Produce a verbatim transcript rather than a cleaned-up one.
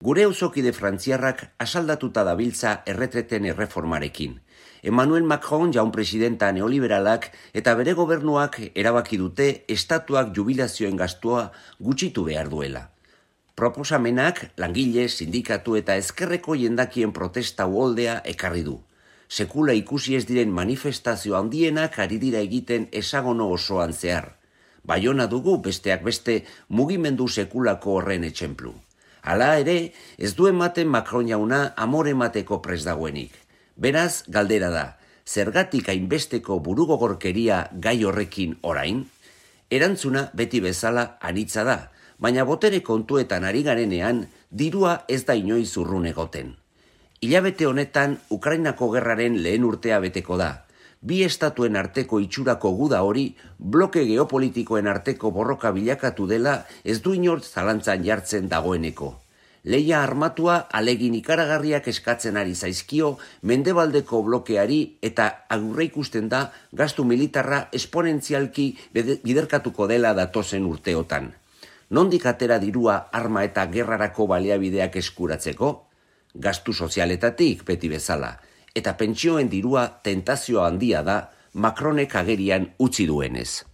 Gure auzokide frantziarrak asaldatuta dabiltza erretreten erreformarekin. Emmanuel Macron jaun presidenta neoliberalak eta bere gobernuak erabaki dute estatuak jubilazioen gastua gutxitu behar duela. Proposamenak langile, sindikatu eta ezkerreko jendakien protesta uholdea ekarri du. Sekula ikusi ez diren manifestazio handienak ari dira egiten esagono osoan zehar. Baiona dugu besteak beste mugimendu sekulako horren etxenplu. Hala ere, ez du ematen Macron jauna amore emateko prest dagoenik. Beraz, galdera da, zergatik hainbesteko burugogorkeria gai horrekin orain? Erantzuna beti bezala anitza da, baina botere kontuetan ari garenean, dirua ez da inoiz urrun egoten. Hilabete honetan, Ukrainako gerraren lehen urtea beteko da. Bi estatuen arteko itxurako guda hori, bloke geopolitikoen arteko borroka bilakatu dela ez du inor zalantzan jartzen dagoeneko. Lehia armatua alegin ikaragarriak eskatzen ari zaizkio mendebaldeko blokeari eta aurreikusten da gastu militarra esponentzialki biderkatuko dela datozen urteotan. Nondik atera dirua arma eta gerrarako baliabideak eskuratzeko? Gastu sozialetatik beti bezala. Eta pentsioen dirua tentazio handia da Macronek agerian utzi duenez.